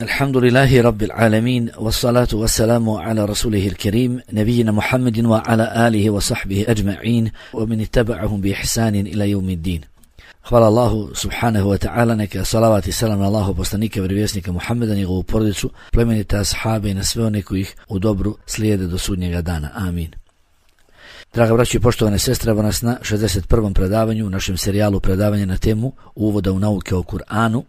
Alhamdulillahi Rabbil Alamin, wassalatu wassalamu ala rasulihil kerim, nabijina Muhammedin wa ala alihi wa sahbihi ajma'in, wa min ittaba'ahum bi ihsanin ila yawmiddin. Hvala Allahu subhanahu wa ta'ala, neka salavat i salam na Allahu poslanika i vjerovjesnika Muhammeda, njegovu porodicu, plemenite ashabe i na sve one koji ih u dobru slijede do sudnjega dana. Amin. Draga braćo i poštovane sestre, evo nas na 61. predavanju u našem serijalu predavanja na temu Uvoda u nauke o Kur'anu.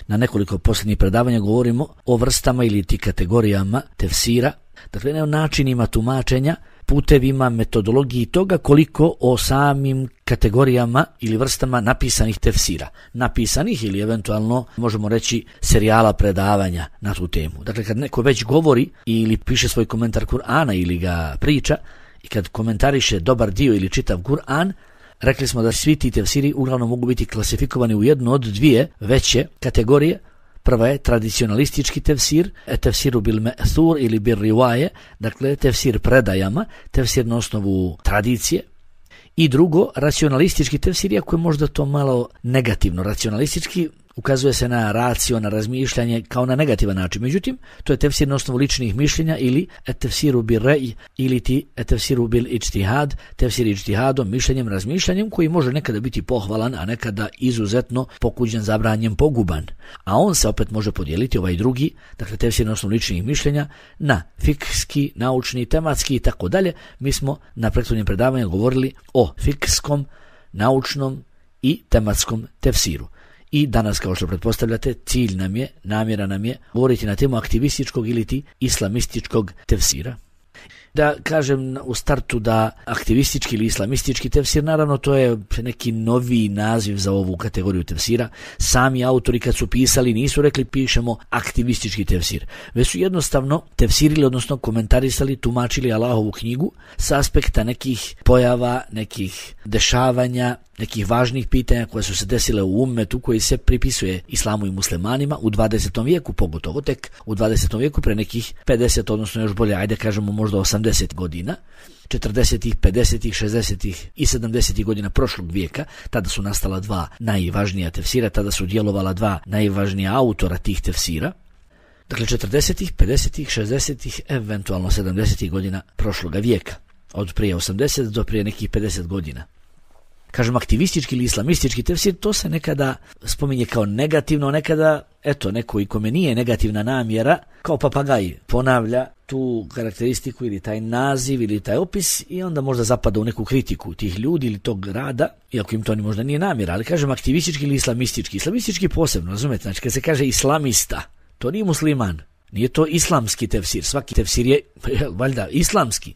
Na nekoliko posljednjih predavanja govorimo o vrstama ili ti kategorijama tefsira, dakle ne o načinima tumačenja, putevima, metodologiji toga, koliko o samim kategorijama ili vrstama napisanih tefsira. Napisanih ili eventualno možemo reći serijala predavanja na tu temu. Dakle, kad neko već govori ili piše svoj komentar Kur'ana ili ga priča i kad komentariše dobar dio ili čitav Kur'an, rekli smo da svi ti tefsiri uglavnom mogu biti klasifikovani u jednu od dvije veće kategorije. Prva je tradicionalistički tefsir, tefsiru bil me'thur ili bil rivaje, dakle tefsir predajama, tefsir na osnovu tradicije. I drugo, racionalistički tefsir, iako je možda to malo negativno. Racionalistički ukazuje se na racio, na razmišljanje kao na negativan način. Međutim, to je tefsir na osnovu ličnih mišljenja ili tefsiru bil rej ili ti tefsiru bil ijtihad, tefsir ijtihadom, mišljenjem, razmišljanjem koji može nekada biti pohvalan, a nekada izuzetno pokuđen, zabranjen, poguban. A on se opet može podijeliti, ovaj drugi, dakle tefsir na osnovu ličnih mišljenja, na fikski, naučni, tematski i tako dalje. Mi smo na prethodnim predavanju govorili o fikskom, naučnom i tematskom tefsiru. I danas, kao što pretpostavljate, cilj nam je, namjera nam je govoriti na temu aktivističkog ili ti islamističkog tefsira. Da kažem u startu da aktivistički ili islamistički tefsir, naravno to je neki novi naziv za ovu kategoriju tefsira. Sami autori kad su pisali nisu rekli pišemo aktivistički tefsir, već su jednostavno tefsirili, odnosno komentarisali, tumačili Allahovu knjigu sa aspekta nekih pojava, nekih dešavanja, nekih važnih pitanja koje su se desile u ummetu koji se pripisuje islamu i muslimanima u 20. vijeku, pogotovo tek u 20. vijeku pre nekih 50, odnosno još bolje, ajde kažemo možda 80 godina, 40., 50., 60. i 70. godina prošlog vijeka. Tada su nastala dva najvažnija tefsira, tada su djelovala dva najvažnija autora tih tefsira. Dakle, 40., 50., 60., eventualno 70. godina prošloga vijeka, od prije 80 do prije nekih 50 godina. Kažem, aktivistički ili islamistički tefsir, to se nekada spominje kao negativno, nekada, eto, neko i kome nije negativna namjera, kao papagaj ponavlja tu karakteristiku ili taj naziv ili taj opis i onda možda zapada u neku kritiku tih ljudi ili tog rada, iako im to ni možda nije namjera, ali kažem aktivistički ili islamistički. Islamistički posebno, razumete, znači kad se kaže islamista, to nije musliman, nije to islamski tefsir, svaki tefsir je valjda islamski.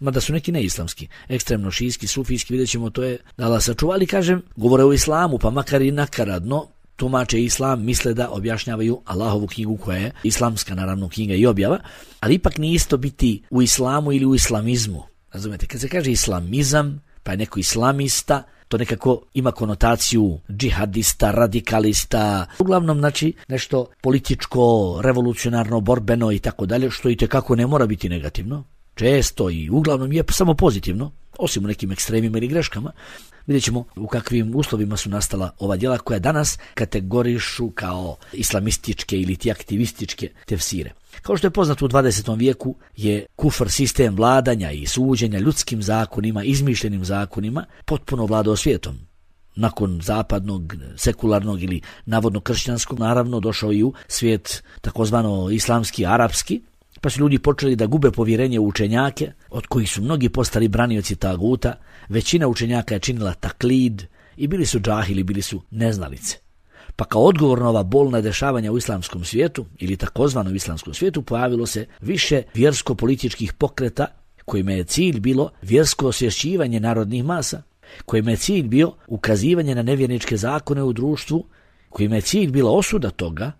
Mada su neki neislamski, ekstremno šijski, sufijski, vidjet ćemo, to je da Allah sačuva, ali kažem, govore o islamu, pa makar i nakaradno tumače islam, misle da objašnjavaju Allahovu knjigu koja je islamska, naravno, knjiga i objava, ali ipak nije isto biti u islamu ili u islamizmu. Razumete, kad se kaže islamizam, pa je neko islamista, to nekako ima konotaciju džihadista, radikalista, uglavnom znači nešto političko, revolucionarno, borbeno i tako dalje, što i tekako ne mora biti negativno. Često i uglavnom je samo pozitivno, osim u nekim ekstremima ili greškama. Vidjet ćemo u kakvim uslovima su nastala ova djela koja danas kategorišu kao islamističke ili ti aktivističke tefsire. Kao što je poznato, u 20. vijeku je kufr, sistem vladanja i suđenja ljudskim zakonima, izmišljenim zakonima, potpuno vladao svijetom. Nakon zapadnog, sekularnog ili navodno kršćanskog, naravno došao i u svijet takozvano islamski, arapski, pa su ljudi počeli da gube povjerenje u učenjake, od kojih su mnogi postali branioci taguta. Većina učenjaka je činila taklid i bili su džahili, bili su neznalice. Pa kao odgovor na ova bolna dešavanja u islamskom svijetu, ili takozvanom islamskom svijetu, pojavilo se više vjersko-političkih pokreta, kojima je cilj bilo vjersko osvješćivanje narodnih masa, kojima je cilj bio ukazivanje na nevjerničke zakone u društvu, kojima je cilj bila osuda toga,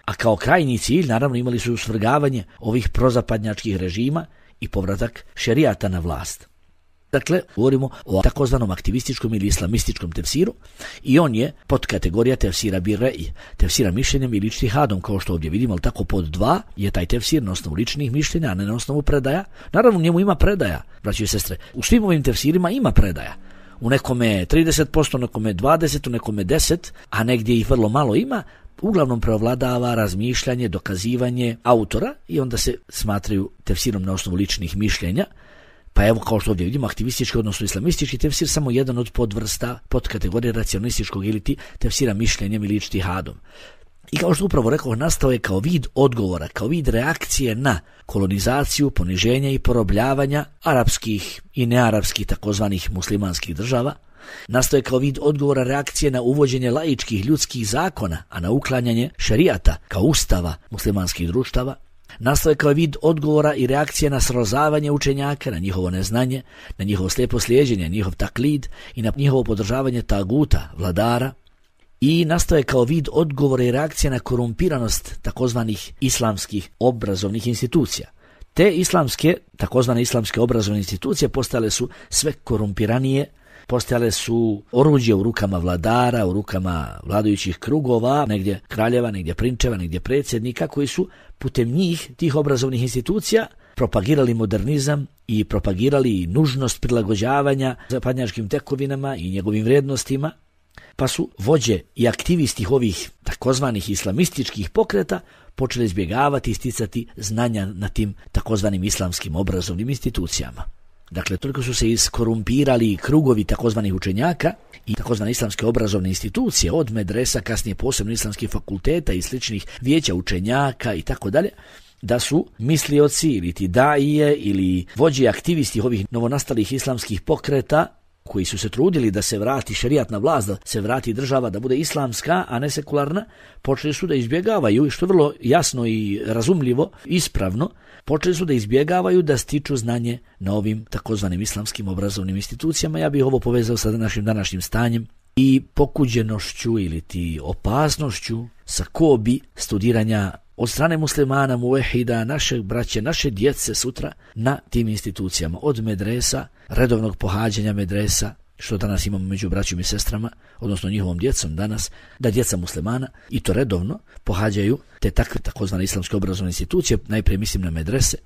a kao krajnji cilj naravno imali su svrgavanje ovih prozapadnjačkih režima i povratak šerijata na vlast. Dakle, govorimo o takozvanom aktivističkom ili islamističkom tefsiru i on je pod kategorija tefsira bil rej, tefsira mišljenjem ili ijtihadom, kao što ovdje vidimo, ali tako pod 2 je taj tefsir na osnovu ličnih mišljenja, a ne na osnovu predaja. Naravno, u njemu ima predaja, braći i sestre. U svim ovim tefsirima ima predaja. u nekome 30%, u nekome 20%, u nekome 10%, a negdje ih vrlo malo ima, uglavnom preovladava razmišljanje, dokazivanje autora i onda se smatraju tefsirom na osnovu ličnih mišljenja. Pa evo, kao što ovdje vidimo, aktivistički odnosno islamistički tefsir samo jedan od podvrsta, podkategorije racionalističkog ili tefsira mišljenjem ili ijtihadom. I kao što upravo rekao, nastao je kao vid odgovora, kao vid reakcije na kolonizaciju, poniženja i porobljavanja arapskih i nearapskih takozvanih muslimanskih država. Nastao je kao vid odgovora reakcije na uvođenje laičkih ljudskih zakona, a na uklanjanje šerijata kao ustava muslimanskih društava. Nastao je kao vid odgovora i reakcije na srozavanje učenjaka, na njihovo neznanje, na njihovo slijepo slijeđenje, njihov taklid i na njihovo podržavanje taguta, vladara. I nastao je kao vid odgovora i reakcije na korumpiranost takozvanih islamskih obrazovnih institucija. Te islamske, takozvane islamske obrazovne institucije postale su sve korumpiranije, postale su oruđe u rukama vladara, u rukama vladajućih krugova, negdje kraljeva, negdje prinčeva, negdje predsjednika, koji su putem njih, tih obrazovnih institucija, propagirali modernizam i propagirali nužnost prilagođavanja zapadnjačkim tekovinama i njegovim vrijednostima, pa su vođe i aktivisti ovih takozvanih islamističkih pokreta počeli izbjegavati i sticati znanja na tim takozvanim islamskim obrazovnim institucijama. Dakle, toliko su se iskorumpirali krugovi takozvanih učenjaka i takozvane islamske obrazovne institucije, od medresa, kasnije posebno islamskih fakulteta i sličnih vijeća učenjaka i tako dalje, da su mislioci ili ti daije ili vođe aktivisti ovih novonastalih islamskih pokreta, koji su se trudili da se vrati šerijat na vlast, da se vrati država, da bude islamska, a ne sekularna, počeli su da izbjegavaju, i što je vrlo jasno i razumljivo, ispravno, počeli su da izbjegavaju da stiču znanje na ovim takozvanim islamskim obrazovnim institucijama. Ja bih ovo povezao sa našim današnjim stanjem i pokuđenošću ili ti opasnošću sa kobi studiranja od strane muslimana, muvehida, našeg braće, naše djece sutra na tim institucijama, od medresa, redovnog pohađanja medresa, što danas imamo među braćom i sestrama, odnosno njihovom djecom danas, da djeca muslimana i to redovno pohađaju te takve takozvane islamske obrazovne institucije, najprije mislim na medrese,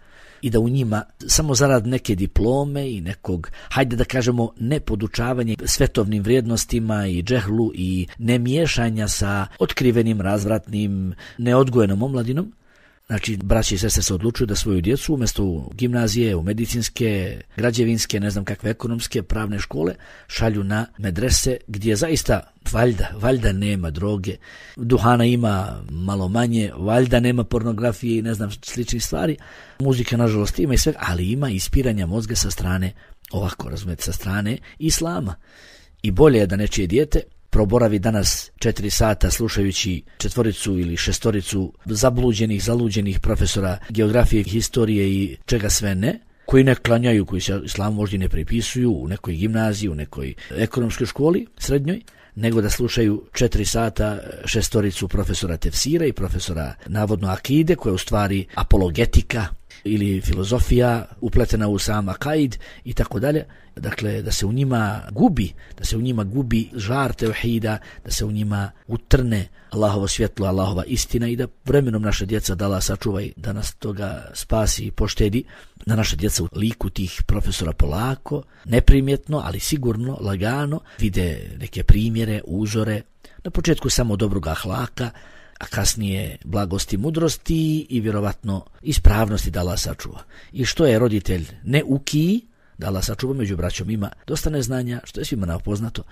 i da u njima samo zarad neke diplome i nekog, hajde da kažemo, nepodučavanje svetovnim vrijednostima i džehlu i nemiješanja sa otkrivenim, razvratnim, neodgojenom omladinom. Znači, braći i sestre se odlučuju da svoju djecu umjesto u gimnazije, u medicinske, građevinske, ne znam kakve ekonomske, pravne škole, šalju na medrese gdje zaista valjda nema droge, duhana ima malo manje, valjda nema pornografije i ne znam sličnih stvari, muzika nažalost ima i sve, ali ima ispiranja mozga sa strane, ovako razumijete, sa strane islama. I bolje je da nečije dijete proboravi danas 4 sata slušajući 4 ili 6 zaluđenih profesora geografije, historije i čega sve ne, koji ne klanjaju, koji se islamu možda ne pripisuju u nekoj gimnaziji, u nekoj ekonomskoj školi srednjoj, nego da slušaju 4 sata 6 profesora tefsira i profesora navodno akide, koja je u stvari apologetika ili filozofija upletena u sam akaid i tako dalje. Dakle, da se u njima gubi žar tevhida, da se u njima utrne Allahovo svjetlo, Allahova istina i da vremenom naša djeca, da Allah sačuva i da nas toga spasi i poštedi, da naša djeca u liku tih profesora polako, neprimjetno, ali sigurno, lagano, vide neke primjere, uzore, na početku samo dobrog ahlaka, a kasnije blagosti, mudrosti i vjerovatno ispravnosti, da Allah sačuva. I što je roditelj neukiji, da Allah sačuva, među braćom ima dosta neznanja, što je svima poznato.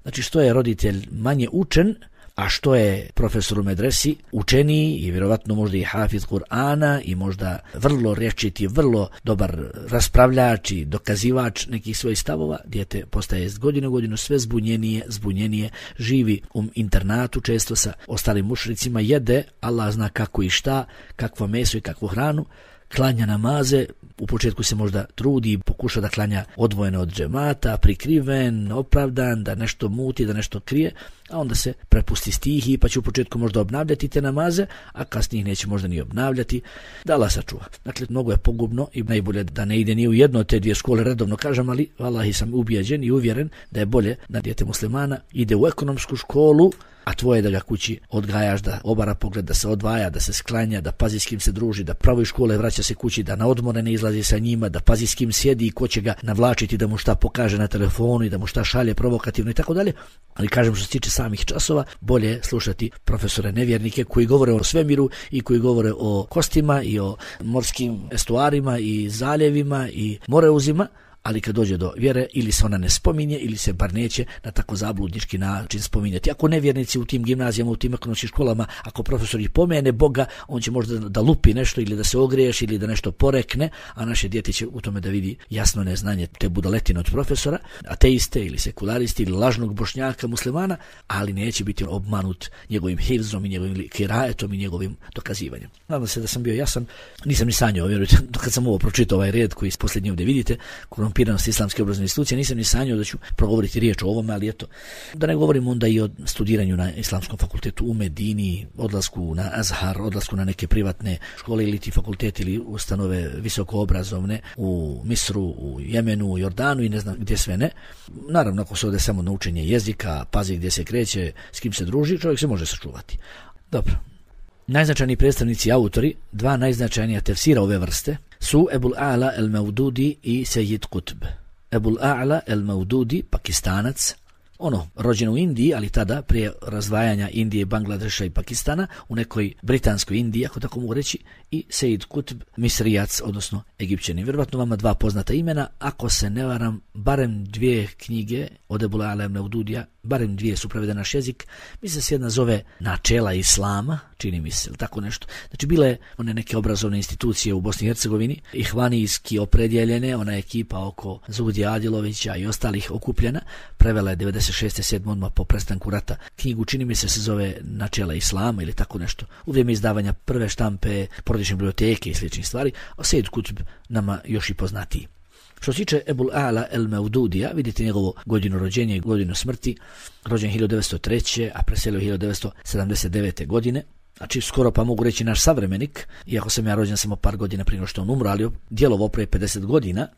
Znači, što je roditelj manje učen, a što je profesor u medresi učeniji i vjerovatno možda i hafiz Kur'ana i možda vrlo rječiti, vrlo dobar raspravljač i dokazivač nekih svojih stavova, dijete postaje iz godine u godinu sve zbunjenije, živi u internatu često sa ostalim mušricima, jede Allah zna kako i šta, kakvo meso i kakvu hranu, klanja namaze, u početku se možda trudi i pokuša da klanja odvojeno od džemata, prikriven, opravdan, da nešto muti, da nešto krije, a onda se prepusti stihiji, pa će u početku možda obnavljati te namaze, a kasnije ih neće možda ni obnavljati, da Allah sačuva. Dakle, mnogo je pogubno i najbolje da ne ide ni u jedno od te dvije škole, redovno kažem, ali vallahi sam ubijeđen i uvjeren da je bolje da dijete muslimana ide u ekonomsku školu, a tvoje da ga kući odgajaš, da obara pogled, da se odvaja, da se sklanja, da pazi s kim se druži, da pravo iz škole vraća se kući, da na odmore ne izlazi sa njima, da pazi s kim sjedi i ko će ga navlačiti, da mu šta pokaže na telefonu i da mu šta šalje provokativno i tako dalje. Ali kažem, što se tiče samih časova, bolje je slušati profesore nevjernike koji govore o svemiru i koji govore o kostima i o morskim estuarima i zaljevima i moreuzima, ali kad dođe do vjere ili se ona ne spominje ili se bar neće na tako zabludnički način spominjati. Ako nevjernici u tim gimnazijama, u tim ekonomskim školama, ako profesor ih pomene Boga, on će možda da lupi nešto ili da se ogriješi ili da nešto porekne, a naše dijete će u tome da vidi jasno neznanje te budaletine od profesora, ateiste ili sekularisti ili lažnog bošnjaka muslimana, ali neće biti obmanut njegovim hifzom i njegovim kirajetom i njegovim dokazivanjem. Nadam se da sam bio jasan, nisam ni sanjao, vjerujte, kad sam ovo pročitao ovaj red koji posljednji ovdje vidite, korumpiranost islamske obrazovne institucije, nisam ni sanjao da ću progovoriti riječ o ovome, ali eto, da ne govorim onda i o studiranju na islamskom fakultetu u Medini, odlasku na Azhar, odlasku na neke privatne škole ili ti fakulteti ili ustanove visokoobrazovne u Misru, u Jemenu, u Jordanu i ne znam gdje sve ne. Naravno, ako se ode samo na učenje jezika, pazi gdje se kreće, s kim se druži, čovjek se može sačuvati. Dobro. Najznačajniji predstavnici i autori, dva najznačajnija tefsira ove vrste, su Ebul A'la el-Maududi i Sejid Qutb. Ebul A'la el-Maududi, Pakistanac, rođen u Indiji, ali tada prije razdvajanja Indije, Bangladeša i Pakistana, u nekoj britanskoj Indiji, ako tako mogu reći, i Sejid Qutb, Misrijac, odnosno Egipćanin. Vjerovatno vama dva poznata imena, ako se ne varam, barem dvije knjige od Ebul A'la el-Maududija, barem dvije su prevedene na naš jezik. Mislim se jedna zove Načela Islama, čini mi se, ili tako nešto. Znači, bile one neke obrazovne institucije u Bosni i Hercegovini, ihvanijski opredjeljene, ona ekipa oko Zugdija Adilovića i ostalih okupljena, prevela je 96. 7. odmah po prestanku rata knjigu, čini mi se zove Načela Islama ili tako nešto. U vrijeme izdavanja prve štampe, porodične biblioteke i sličnih stvari, a Sejid Qutb nama još i poznatiji. Što se tiče Ebul A'la el-Maududija, vidite njegovo godinu rođenja i godinu smrti, rođen 1903. a preselio 1979. godine. Znači, skoro pa mogu reći naš savremenik, iako sam ja rođen samo par godina prije što on umro, ali djelovao prije 50 godina.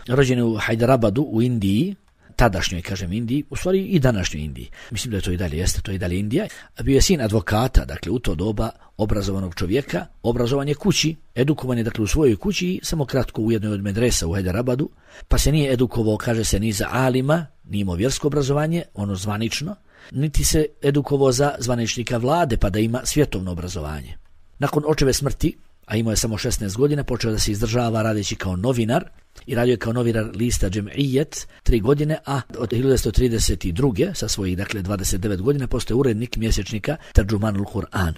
Rođen je u Hyderabadu u Indiji, tadašnjoj, kažem, Indiji, u stvari i današnjoj Indiji. Mislim da je to i dalje, jeste, to je i dalje Indija. Bio je sin advokata, dakle, u to doba obrazovanog čovjeka, obrazovan je kući, edukovan je, dakle, u svojoj kući i samo kratko u jednoj od medresa u Hyderabadu, pa se nije edukovao, kaže se, ni za alima, nije imao vjersko obrazovanje, ono zvanično, niti se edukovao za zvaničnika vlade, pa da ima svjetovno obrazovanje. Nakon očeve smrti, a imao je samo 16 godina, počeo da se izdržava radeći kao novinar i radio je kao novinar lista Džem'ijet 3 godine, a od 1932. sa svojih, dakle, 29 godina postaje urednik mjesečnika Terđumanul Kur'an.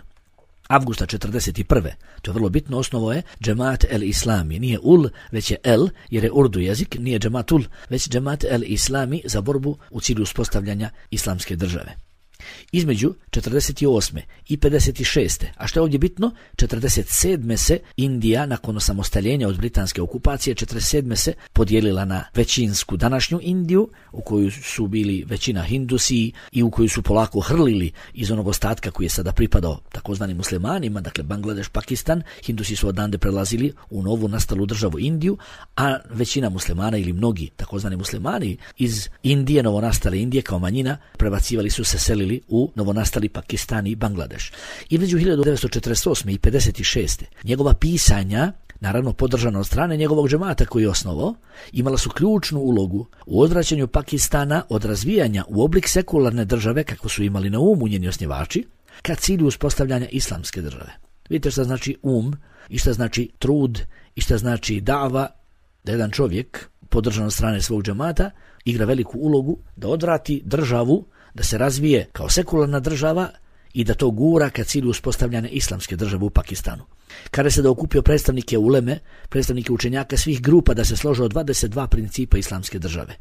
Avgusta 41. To je vrlo bitno, osnovo je Džemaat el-Islami. Nije ul, već je el, jer je urdu jezik, nije Džemaatul, već Džemaat el-Islami za borbu u cilju uspostavljanja islamske države. Između 48. i 56. a što je ovdje bitno, 47. se Indija nakon osamostaljenja od britanske okupacije 47. se podijelila na većinsku današnju Indiju, u koju su bili većina Hindusi i u koju su polako hrlili iz onog ostatka koji je sada pripadao takozvanim muslimanima, dakle Bangladeš, Pakistan. Hindusi su odande prelazili u novu nastalu državu Indiju, a većina muslimana ili mnogi takozvani muslimani iz Indije, novonastale Indije kao manjina, prebacivali su se, selili u novonastali Pakistan i Bangladeš. I među 1948. i 56. njegova pisanja, naravno podržana od strane njegovog džemata koji je osnovao, imala su ključnu ulogu u odvraćanju Pakistana od razvijanja u oblik sekularne države, kako su imali na umu njeni osnivači, ka cilju uspostavljanja islamske države. Vidite šta znači i šta znači trud i šta znači dava, da jedan čovjek podržan od strane svog džemata igra veliku ulogu da odvrati državu da se razvije kao sekularna država i da to gura ka cilju uspostavljanja islamske države u Pakistanu. Kada se da okupio predstavnike uleme, predstavnike učenjaka svih grupa da se slože od 22 principa islamske države.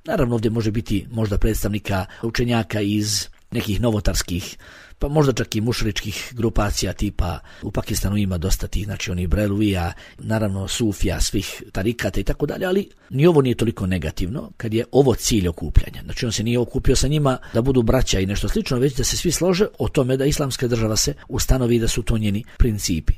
Naravno, ovdje može biti možda predstavnika učenjaka iz nekih novotarskih pa možda čak i mušričkih grupacija tipa u Pakistanu ima dosta tih, znači onih Brelvija, naravno Sufija, svih tarikata i tako dalje, ali ni ovo nije toliko negativno kad je ovo cilj okupljanja. Znači on se nije okupio sa njima da budu braća i nešto slično, već da se svi slože o tome da islamska država se ustanovi i da su to njeni principi.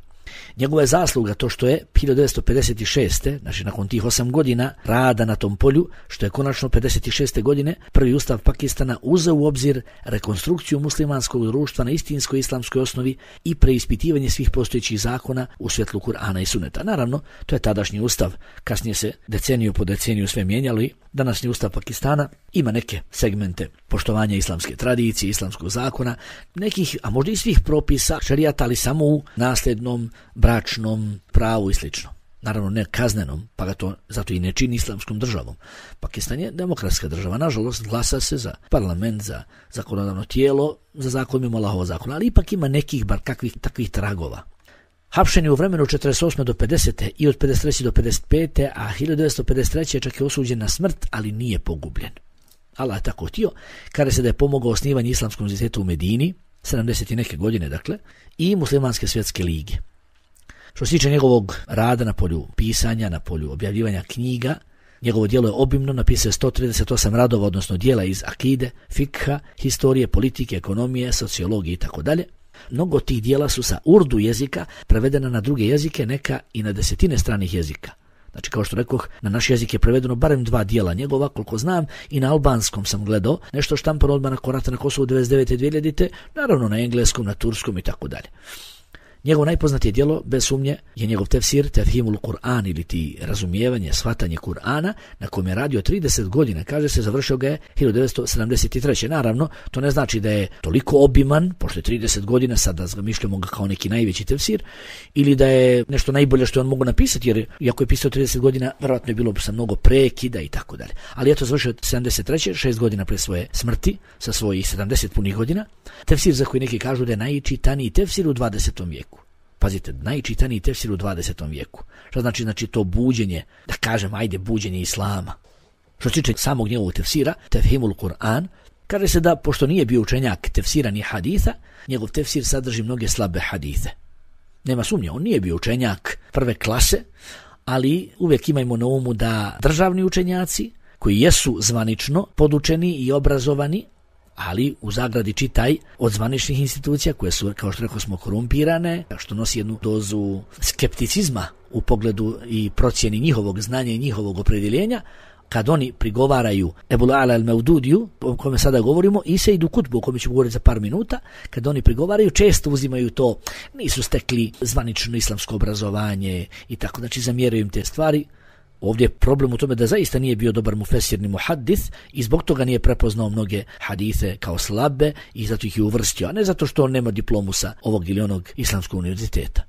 Njegova je zasluga to što je 1956. znači nakon tih 8 godina rada na tom polju, što je konačno 56. godine prvi ustav Pakistana uzeo u obzir rekonstrukciju muslimanskog društva na istinskoj islamskoj osnovi i preispitivanje svih postojećih zakona u svjetlu Kur'ana i Suneta. Naravno, to je tadašnji ustav, kasnije se deceniju po deceniju sve mijenjalo i današnji ustav Pakistana ima neke segmente poštovanja islamske tradicije, islamskog zakona, nekih, a možda i svih propisa šerijata, ali samo u nasljednom, bračnom pravu i slično. Naravno ne kaznenom, pa ga to zato i ne čini islamskom državom. Pakistan je demokratska država, nažalost glasa se za parlament, za zakonodavno tijelo, za zakon mimo Allahova zakona, ali ipak ima nekih bar kakvih takvih tragova. Hapšen je u vremenu 48. do 50. i od 53. do 55. a 1953. čak je osuđen na smrt, ali nije pogubljen. Allah je tako htio, kada se da je pomogao osnivanju islamskog univerziteta u Medini, 70. neke godine dakle, i muslimanske svjetske lige. Što se tiče njegovog rada na polju pisanja, na polju objavljivanja knjiga, njegovo djelo je obimno, napisao je 138 radova, odnosno djela iz akide, fikha, historije, politike, ekonomije, sociologije itd. Mnogo tih djela su sa urdu jezika prevedena na druge jezike, neka i na desetine stranih jezika. Znači, kao što rekoh, na naš jezik je prevedeno barem 2 djela njegova, koliko znam, i na albanskom sam gledao, nešto štampano odmah na Korata na Kosovu 99. 2000. Naravno na engleskom, na turskom i tako dalje. Njegovo najpoznatije djelo, bez sumnje, je njegov tefsir, Tefhimul Kur'an ili ti razumijevanje, shvatanje Kur'ana, na kojem je radio 30 godina. Kaže se, završio ga je 1973. Naravno, to ne znači da je toliko obiman, pošto je 30 godina, sad da zamišljamo ga kao neki najveći tefsir, ili da je nešto najbolje što on mogu napisati, jer iako je pisao 30 godina, verovatno je bilo sa mnogo prekida i tako dalje. Ali eto, završio 73. 6 godina pre svoje smrti, sa svojih 70 punih godina. Tefsir za koji neki kažu da je najčitaniji tefsir u 20. vijeku. Pazite, najčitaniji tefsir u 20. vijeku. Što znači to buđenje, da kažem, ajde, buđenje islama. Što se tiče samog njegovog tefsira, Tefhimul Kur'an, kaže se da, pošto nije bio učenjak tefsira ni haditha, njegov tefsir sadrži mnoge slabe hadithe. Nema sumnje, on nije bio učenjak prve klase, ali uvijek imajmo na umu da državni učenjaci, koji jesu zvanično podučeni i obrazovani, ali u zagradi čitaj od zvaničnih institucija koje su, kao što rekao smo, korumpirane, što nosi jednu dozu skepticizma u pogledu i procjeni njihovog znanja i njihovog opredjeljenja, kad oni prigovaraju Ebul Ala al-Maududiju, o kome sada govorimo, i Sejdu Kutbu, o kome ću govoriti za par minuta, kad oni prigovaraju, često uzimaju to, nisu stekli zvanično islamsko obrazovanje i tako, znači zamjeraju im te stvari. Ovdje je problem u tome da zaista nije bio dobar mufesir ni muhaddis i zbog toga nije prepoznao mnoge hadise kao slabe i zato ih je uvrstio, a ne zato što on nema diplomu sa ovog ili onog islamskog univerziteta.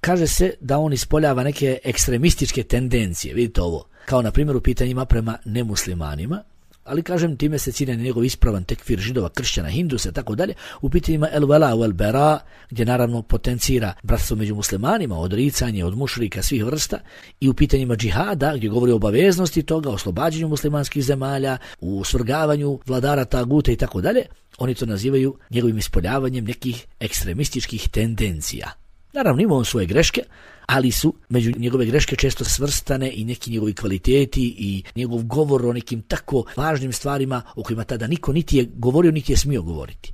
Kaže se da on ispoljava neke ekstremističke tendencije, vidite ovo, kao na primjer u pitanjima prema nemuslimanima, ali kažem time se cilja na njegov ispravan tekfir židova, kršćana, hindusa, tako dalje, u pitanjima el vela u el bera, gdje naravno potencira bratstvo među muslimanima, odricanje od mušrika svih vrsta, i u pitanjima džihada, gdje govori o obaveznosti toga, o oslobađanju muslimanskih zemalja, u svrgavanju vladara taguta i tako dalje, oni to nazivaju njegovim ispoljavanjem nekih ekstremističkih tendencija. Naravno ima on svoje greške, ali su među njegove greške često svrstane i neki njegovi kvaliteti i njegov govor o nekim tako važnim stvarima o kojima tada niko niti je govorio, niti je smio govoriti.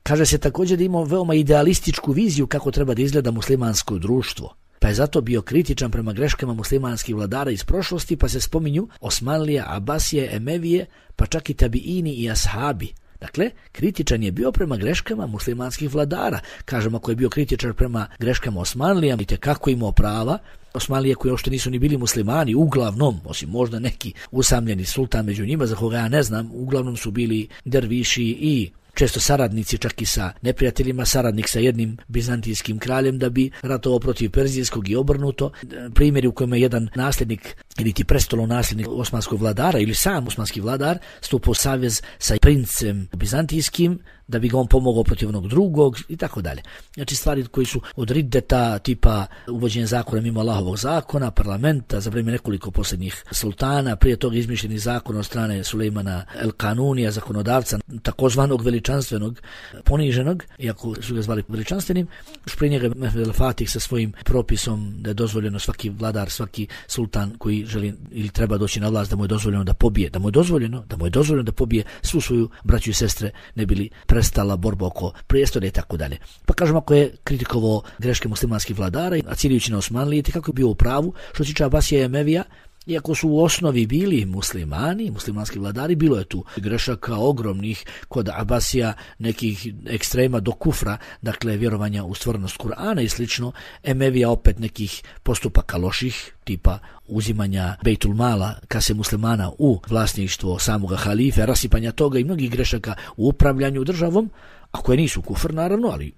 Kaže se također da ima veoma idealističku viziju kako treba da izgleda muslimansko društvo, pa je zato bio kritičan prema greškama muslimanskih vladara iz prošlosti, pa se spominju Osmanlije, Abasije, Emevije, pa čak i tabiini i ashabi. Dakle, kritičan je bio prema greškama muslimanskih vladara. Kažemo, ako je bio kritičan prema greškama Osmanlijama, vidite kako imao prava. Osmanlije koji uopšte nisu ni bili muslimani, uglavnom, osim možda neki usamljeni sultan među njima, za koga ja ne znam, uglavnom su bili derviši i često saradnici, čak i sa neprijateljima, saradnik sa jednim bizantijskim kraljem da bi ratovao protiv perzijskog i obrnuto. Primjeri u kojima je jedan nasljednik ili ti prestolov nasljednik osmanskog vladara ili sam osmanski vladar stupao savez sa princem bizantijskim da bi ga on pomogao protiv onog drugog i tako dalje. Znači stvari koji su od riddeta, tipa uvođenje zakona mimo Allahovog zakona, parlamenta za vrijeme nekoliko posljednjih sultana, prije toga izmišljeni zakon od strane Sulejmana El Kanunija, zakonodavca takozvanog veličanstvenog, poniženog, iako su ga zvali veličanstvenim, još prije njega Mehmed El Fatih sa svojim propisom da je dozvoljeno svaki vladar, svaki sultan koji želi ili treba doći na vlast da mu je dozvoljeno da pobije, da mu je dozvoljeno da pobije svu svoju braću i sestre, ne bili prestala borba oko prijestolja i tako dalje. Pa kažemo, ako je kritikovao greške muslimanskih vladara, a ciljujući na Osmanlije, kako je bio u pravu, što se tiče Abasija i Emevija, iako su u osnovi bili muslimani, muslimanski vladari, bilo je tu grešaka ogromnih kod Abasija, nekih ekstrema do kufra, dakle vjerovanja u stvarnost Kur'ana i slično. Emevija opet nekih postupaka loših, tipa uzimanja Bejtul Mala, kase muslimana, u vlasništvo samoga halife, rasipanja toga i mnogih grešaka u upravljanju državom, a koje nisu kufr naravno, ali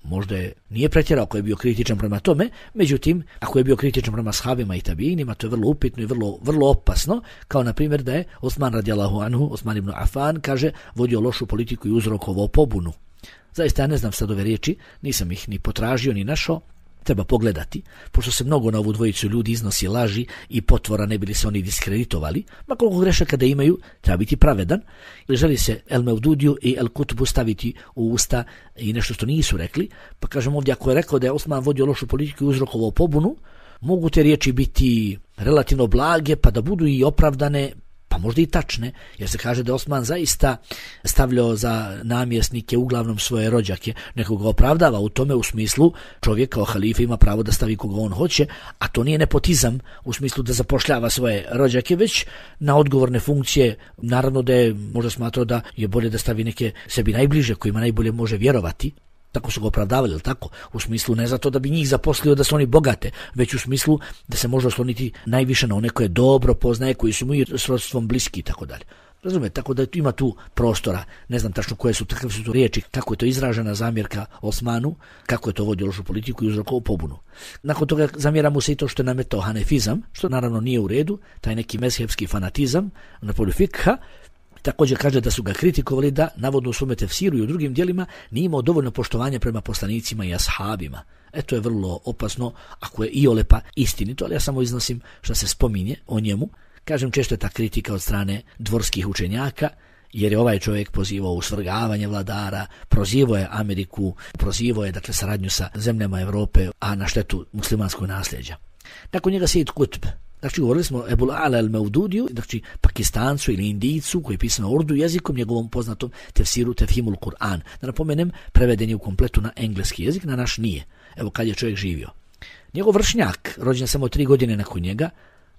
možda nije pretjerao ako je bio kritičan prema tome, međutim, ako je bio kritičan prema ashabima i tabijinima, to je vrlo upitno i vrlo opasno, kao na primjer da je Osman radijallahu anhu, Osman ibn Affan, kaže, vodio lošu politiku i uzrokovao pobunu. Zaista ja ne znam sad ove riječi, nisam ih ni potražio ni našao, treba pogledati, pošto se mnogo na ovu dvojicu ljudi iznosi laži i potvora, ne bili se oni diskreditovali, ma koliko grešaka da imaju, treba biti pravedan, ili želi se El Mevdudiju i El Kutubu staviti u usta i nešto što nisu rekli, pa kažem ovdje, ako je rekao da je Osman vodio lošu politiku i uzrokovao pobunu, mogu te riječi biti relativno blage, pa da budu i opravdane, pa možda i tačne, jer se kaže da Osman zaista stavljao za namjesnike uglavnom svoje rođake, nekoga opravdava u tome, u smislu čovjek kao halifa ima pravo da stavi koga on hoće, a to nije nepotizam u smislu da zapošljava svoje rođake, već na odgovorne funkcije. Naravno da je možda smatrao da je bolje da stavi neke sebi najbliže, kojima najbolje može vjerovati. Tako su ga opravdavali, ili tako? U smislu ne zato da bi njih zaposlio da su oni bogate, već u smislu da se može osloniti najviše na one koje dobro poznaje, koji su mu i srodstvom bliski i tako dalje. Razumete, tako da ima tu prostora, ne znam tačno koje su, takve su tu riječi, kako je to izražena zamjerka Osmanu, kako je to vodio lošu politiku i uzrokovao pobunu. Nakon toga zamjera mu se i to što je nametao hanefizam, što naravno nije u redu, taj neki mezhebski fanatizam na polju fikha. Također kaže da su ga kritikovali da, navodno u svome tefsiru i u drugim dijelima, nije imao dovoljno poštovanja prema poslanicima i ashabima. To je vrlo opasno, ako je iolepa istinito, ali ja samo iznosim što se spominje o njemu. Kažem, često je ta kritika od strane dvorskih učenjaka, jer je ovaj čovjek pozivao u svrgavanje vladara, prozivao je Ameriku, prozivao je dakle saradnju sa zemljama Europe, a na štetu muslimanskog nasljeđa. Nakon njega Sejid Kutb. Znači, govorili smo o Ebul Ala El Mevdudiju, znači Pakistancu ili Indijcu koji je pisan na urdu jezikom, njegovom poznatom tefsiru Tefhimul Kur'an. Da napomenem, preveden je u kompletu na engleski jezik, na naš nije. Evo kad je čovjek živio. Njegov vršnjak, rođen samo 3 godine nakon njega,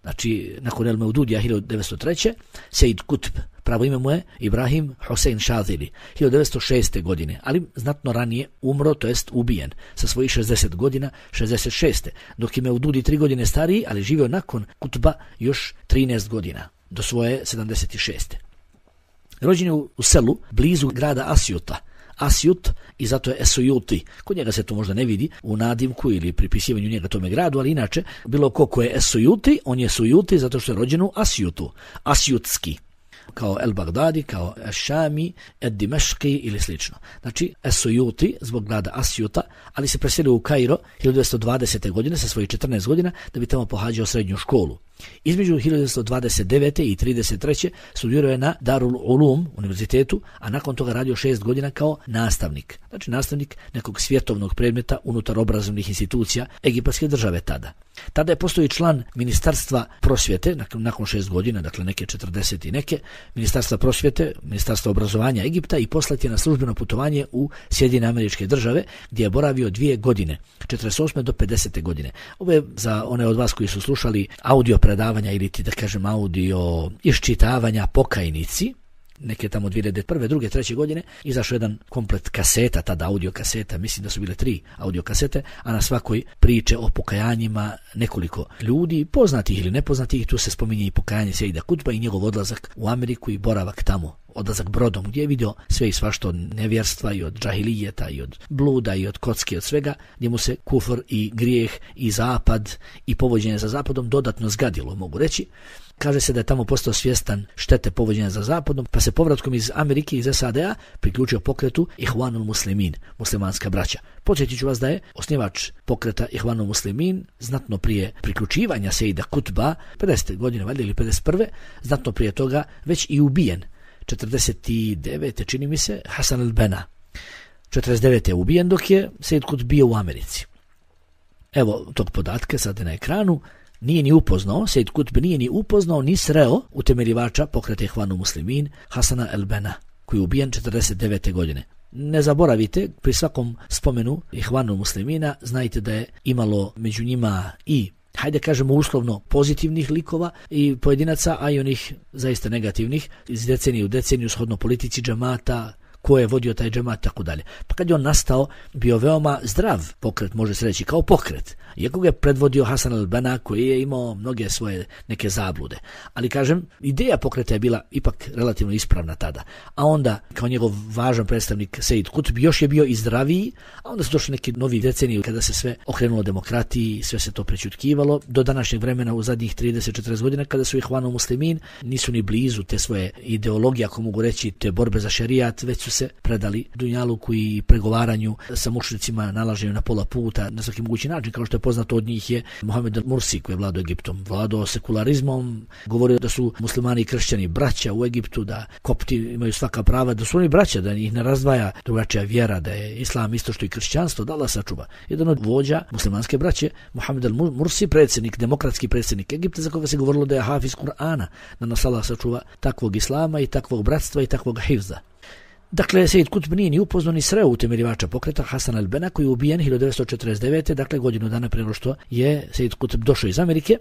znači nakon El Mevdudija 1903. Sejid Kutb, pravo ime mu je Ibrahim Hosein Šazili, 1906. godine, ali znatno ranije umro, to jest ubijen, sa svojih 60 godina, 66. Dok je Mevdudi 3 godine stariji, ali živio nakon Kutba još 13 godina, do svoje 76. Rođen je u selu, blizu grada Asjut, i zato je Esujuti. Kod njega se to možda ne vidi u nadimku ili pripisivanju njega tome gradu, ali inače, bilo ko je Esujuti, on je Sujuti zato što je rođen u Asjutu, Asjutski, kao El Bagdadi, kao Šami, Ed Dimeški ili slično. Znači, Esujuti zbog grada Asjuta, ali se preselio u Kairo 1920. godine sa svojih 14 godina da bi tamo pohađao srednju školu. Između 1929. i 1933. studirao je na Darul Ulum univerzitetu, a nakon toga radio 6 godina kao nastavnik. Znači nastavnik nekog svjetovnog predmeta unutar obrazovnih institucija egipatske države tada. Tada je postao i član Ministarstva prosvjete, nakon 6 godina, dakle neke 40 i neke, Ministarstva prosvjete, Ministarstva obrazovanja Egipta, i poslat je na službeno putovanje u Sjedinjene Američke Države, gdje je boravio 2 godine, 48. do 50. godine. Ovo je za one od vas koji su slušali audio predavanja ili da kažem audio iščitavanja Pokajnici, neke tamo 2001. 2. 3. godine, izašao jedan komplet kaseta, tada audio kaseta, mislim da su bile 3 audio kasete, a na svakoj priče o pokajanjima nekoliko ljudi, poznatih ili nepoznatih. Tu se spominje i pokajanje Sejida Kutba i njegov odlazak u Ameriku i boravak tamo odlazak brodom, gdje je vidio sve i svašta od nevjerstva i od džahilijeta i od bluda i od kocke, od svega, gdje mu se kufr i grijeh i zapad i povođenje za zapadom dodatno zgadilo, mogu reći. Kaže se da je tamo postao svjestan štete povođenja za zapadom, pa se povratkom iz Amerike, iz SAD-a, priključio pokretu Ihvanul Muslimin, muslimanska braća. Podsjetit ću vas da je osnivač pokreta Ihvanul Muslimin znatno prije priključivanja Sejida Kutba, 50. godine valjda ili 51. znatno prije toga već i ubijen. 49. čini mi se Hasan al-Banna. 49. je ubijen dok je Sejid Kutb bio u Americi. Evo tog podatka sad je na ekranu. Nije ni upoznao, Sejid Kutb nije ni upoznao ni sreo utemeljivača pokreta Ihvanul Muslimin Hasana al-Banna, koji je ubijen 49. godine. Ne zaboravite, pri svakom spomenu Ihvanul Muslimina znajte da je imalo među njima i, hajde kažemo uslovno, pozitivnih likova i pojedinaca, a i onih zaista negativnih, iz decenije u deceniju, shodno politici džemata, ko je vodio taj džemat, tako dalje. Pa kad je on nastao, bio veoma zdrav pokret, može se reći, kao pokret. Iako ga je predvodio Hasan al-Banna, koji je imao mnoge svoje neke zablude. Ali kažem, ideja pokreta je bila ipak relativno ispravna tada. A onda, kao njegov važan predstavnik Sejid Kutb, još je bio i zdraviji, a onda su došli neki novi deceniji kada se sve okrenulo demokratiji, sve se to prećutkivalo. Do današnjeg vremena, u zadnjih 30-40 godina, kada su Ihvanul Muslimin, nisu ni blizu te svoje ideologije, ako mogu reći, te borbe za šerijat, već su se predali dunjaluku i pregovaranju sa mušricima, nalaženju na pola puta, na svaki mogući način, kao što je poznato od njih je Mohamed al-Mursi, koji je vladao Egiptom, vladao sekularizmom, govorio da su muslimani i kršćani braća u Egiptu, da kopti imaju svaka prava, da su oni braća, da ih ne razdvaja drugačija vjera, da je islam isto što i kršćanstvo, da Allah sačuva. Jedan od vođa muslimanske braće, Mohamed al-Mursi, predsjednik, demokratski predsjednik Egipta, za koga se govorilo da je hafiz Kur'ana, da nas Allah sačuva takvog islama i takvog bratstva i takvog hifza. Dakle, Sejid Kutb nije ni upoznao ni sreo utemeljivača pokreta Hasan al-Banna, koji je ubijen 1949. Dakle, godinu dana prije nego što je Sejid Kutb došao iz Amerike,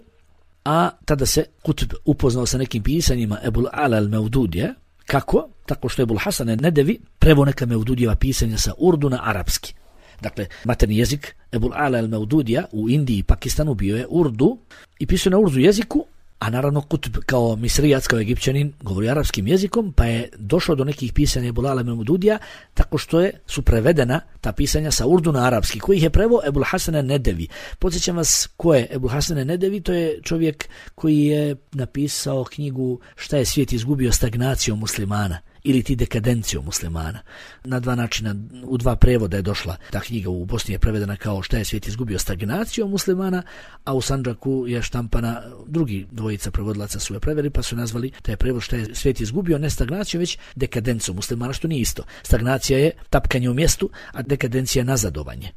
a tada se Kutb upoznao sa nekim pisanjima Ebul Ala al-Mevdudija. Kako? Tako što je Ebul Hasan al-Nedevi preveo neka Mevdudijeva pisanja sa Urdu na arapski. Dakle, materni jezik Ebul Ala al-Mevdudija u Indiji i Pakistanu bio je Urdu i pisao na Urdu jeziku, a naravno Kutb kao misrijac, kao Egipćanin, govori arapskim jezikom, pa je došao do nekih pisanja Ebul Ala al-Mevdudija tako što su prevedena ta pisanja sa Urdu na arapski, koji ih je preveo Ebul Hasan al-Nedevi. Podsjećam vas ko je Ebul Hasan al-Nedevi, to je čovjek koji je napisao knjigu Šta je svijet izgubio, stagnacijom muslimana ili ti dekadencijom muslimana. Na dva načina, u dva prevoda je došla ta knjiga. U Bosni je prevedena kao Šta je svijet izgubio, stagnacijom muslimana, a u Sandžaku je štampana, drugi dvojica prevodilaca su je preveli, pa su nazvali taj prevod Šta je svijet izgubio, ne stagnacijom, već dekadencijom muslimana, što nije isto. Stagnacija je tapkanje u mjestu, a dekadencija je nazadovanje.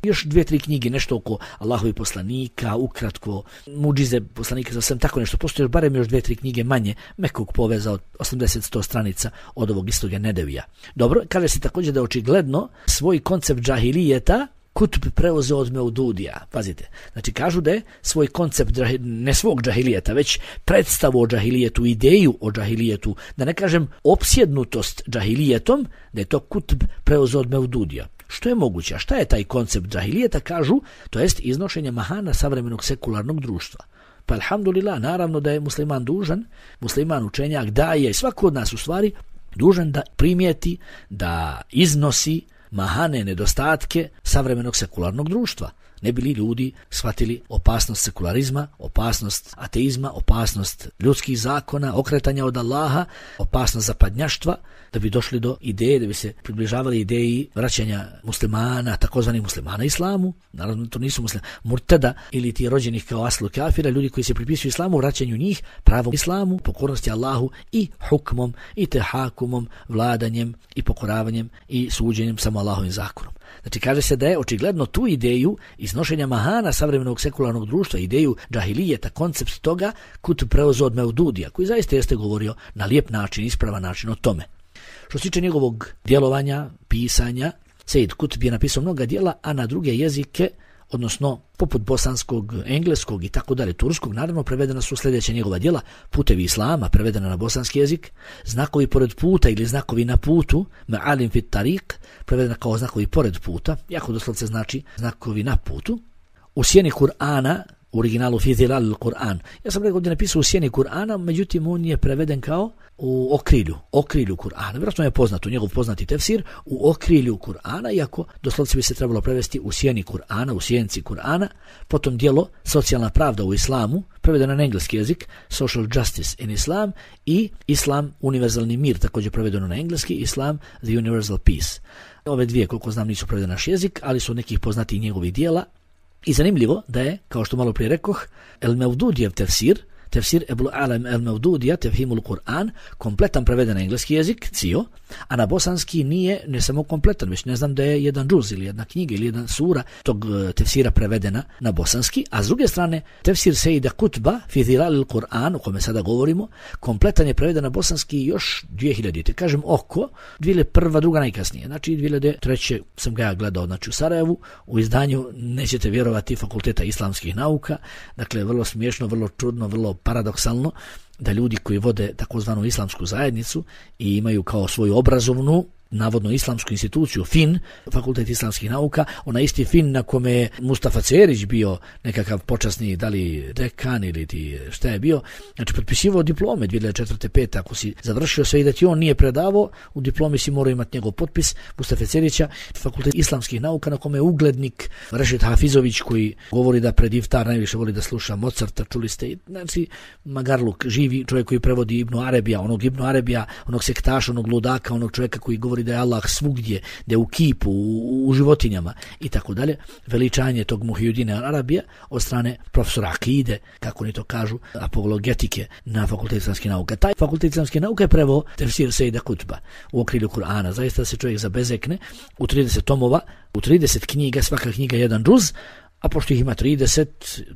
Još 2-3 knjige, nešto oko Allahovi poslanika, ukratko, muđize poslanika, sam tako nešto. Postoje barem još 2-3 knjige manje, mekog poveza od 80-100 stranica od ovog istoga Nedevija. Dobro, kaže se također da je očigledno svoj koncept džahilijeta Kutb preuzeo od Mevdudija. Pazite, znači kažu da je svoj koncept, ne svog džahilijeta, već predstavu o džahilijetu, ideju o džahilijetu, da ne kažem opsjednutost džahilijetom, da je to Kutb preuzeo od Mevdudija. Što je moguće? A šta je taj koncept džahilijeta? Kažu, to jest iznošenje mahana savremenog sekularnog društva. Pa alhamdulillah, naravno da je musliman dužan, musliman učenjak, daje i svako od nas u stvari dužan da primijeti, da iznosi mahane, nedostatke savremenog sekularnog društva. Ne bi li ljudi shvatili opasnost sekularizma, opasnost ateizma, opasnost ljudskih zakona, okretanja od Allaha, opasnost zapadnjaštva, da bi došli do ideje, da bi se približavali ideji vraćanja muslimana, takozvanih muslimana islamu. Naravno, to nisu murtada ili ti rođenih kao aslu kafira, ljudi koji se pripisuju islamu, vraćanju njih pravom islamu, pokornosti Allahu i hukmom i tehakumom, vladanjem i pokoravanjem i suđenjem samo Allahovim zakonom. Znači, kaže se da je očigledno tu ideju iznošenja mahana savremenog sekularnog društva, ideju džahilijeta, koncept toga, Kutb preuzeo od Mevdudija, koji zaista jeste govorio na lijep način, ispravan način o tome. Što se tiče njegovog djelovanja, pisanja, Sejid Kutb je napisao mnoga djela, a na druge jezike, odnosno poput bosanskog, engleskog i tako dalje, turskog, naravno prevedena su sljedeća njegova djela: Putevi islama, prevedena na bosanski jezik, Znakovi pored puta ili Znakovi na putu, Ma'alim fit tariq, prevedena kao znakovi pored puta, jako doslovce znači znakovi na putu, U sjeni Kur'ana, u originalu fi zilal Kur'an. Ja sam ovdje napisao u sjeni Kur'ana, međutim on je preveden kao u okrilju Kur'ana. Vjerojatno je poznato, njegov poznati tefsir u okrilju Kur'ana, iako doslovce bi se trebalo prevesti u sjeni Kur'ana, u sjenci Kur'ana. Potom djelo Socijalna pravda u islamu, prevedeno na engleski jezik, Social Justice in Islam, i Islam, univerzalni mir, također prevedeno na engleski, Islam, the Universal Peace. Ove dvije, koliko znam, nisu prevedene na naš jezik, ali su od nekih poznatih njegovih dijela. I zanimljivo da je, kao što malo prije rekoh, El-Mevdudijev tefsir Ebul Alem El-Mevdudija, Tefhimul Kur'an, kompletan preveden na engleski jezik, cio, a na bosanski nije ne samo kompletan, već ne znam da je jedan džuz ili jedna knjiga ili jedna sura tog tefsira prevedena na bosanski, a s druge strane tefsir Sejida Kutba, fi Zilalil Kur'an, o kome sada govorimo, kompletan je preveden na bosanski još 2000, kažem oko, 2001, druga najkasnije, znači 2003. sam ga gledao, znači u Sarajevu, u izdanju, nećete vjerovati, Fakulteta islamskih nauka, dakle vrlo smiješno, vrlo čudno, vrlo paradoksalno da ljudi koji vode takozvanu islamsku zajednicu i imaju kao svoju obrazovnu, navodno islamsku instituciju, FIN, Fakultet islamskih nauka, ona isti FIN na kome je Mustafa Cerić bio nekakav počasni, da li dekan ili ti šta je bio, znači potpisivao diplome 2004. 5. ako si završio sve i da ti on nije predavao, u diplomi si morao imati njegov potpis, Mustafa Cerića, Fakultet islamskih nauka na kome je uglednik Rešid Hafizović koji govori da pred iftar najviše voli da sluša Mozarta, čuli ste, znači Magarluk, živi čovjek koji prevodi Ibnu Arabija, onog sektaša, onog ludaka, onog čovjeka koji govori da je Allah svugdje, da je u kipu, u životinjama i tako dalje. Veličanje tog Muhyiddina Arabija od strane profesora akide, kako oni to kažu, apologetike na Fakultet islamskih nauka. Taj Fakultet islamskih nauka je preveo tefsir Sejida Kutba u okrilju Kur'ana. Zaista se čovjek zabezekne u 30 tomova, u 30 knjiga, svaka knjiga jedan džuz, a pošto ih ima 30,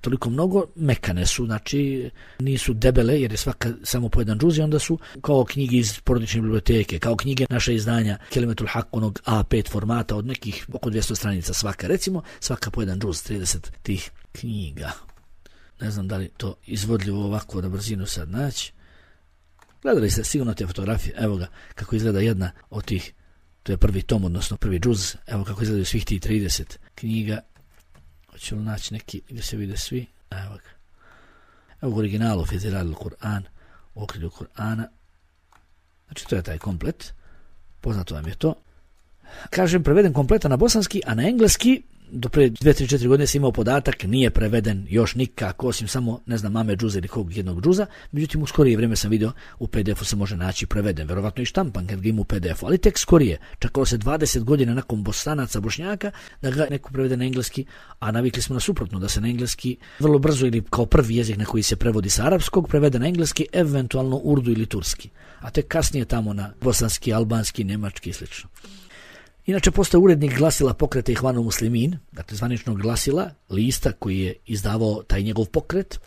toliko mnogo, mekane su, znači nisu debele, jer je svaka samo po jedan džuz i onda su kao knjige iz porodične biblioteke, kao knjige naše izdanja Kelimetul Hak, onog A5 formata od nekih oko 200 stranica svaka, recimo, svaka po jedan džuz, 30 tih knjiga. Ne znam da li to izvodljivo ovako na brzinu sad naći. Gledali ste sigurno te fotografije, evo ga kako izgleda jedna od tih, to je prvi tom, odnosno prvi džuz, evo kako izgledaju svih tih 30 knjiga. Hoću li naći neki gdje se vide svi? Evo ga. Evo u originalu fi Zilalil Kur'an, u okrilju Kur'ana. Znači to je taj komplet. Poznato vam je to. Kažem, preveden kompletan na bosanski, a na engleski do pre 2-3-4 godine sam imao podatak, nije preveden još nikako, osim samo, ne znam, mame džuza ili kog jednog džuza, međutim u skorije vrijeme sam vidio u PDF-u se može naći preveden, verovatno i štampan kad ga ima u PDF-u, ali tek skorije, čakalo se 20 godina nakon Bosanaca, Bošnjaka, da ga neko prevede na engleski, a navikli smo na suprotno, da se na engleski vrlo brzo ili kao prvi jezik na koji se prevodi sa arapskog, prevede na engleski, eventualno urdu ili turski, a tek kasnije tamo na bosanski, albanski, nemački i slično. Inače, postoje urednik glasila pokreta Ihvanul Muslimin, dakle zvaničnog glasila, lista koji je izdavao taj njegov pokret.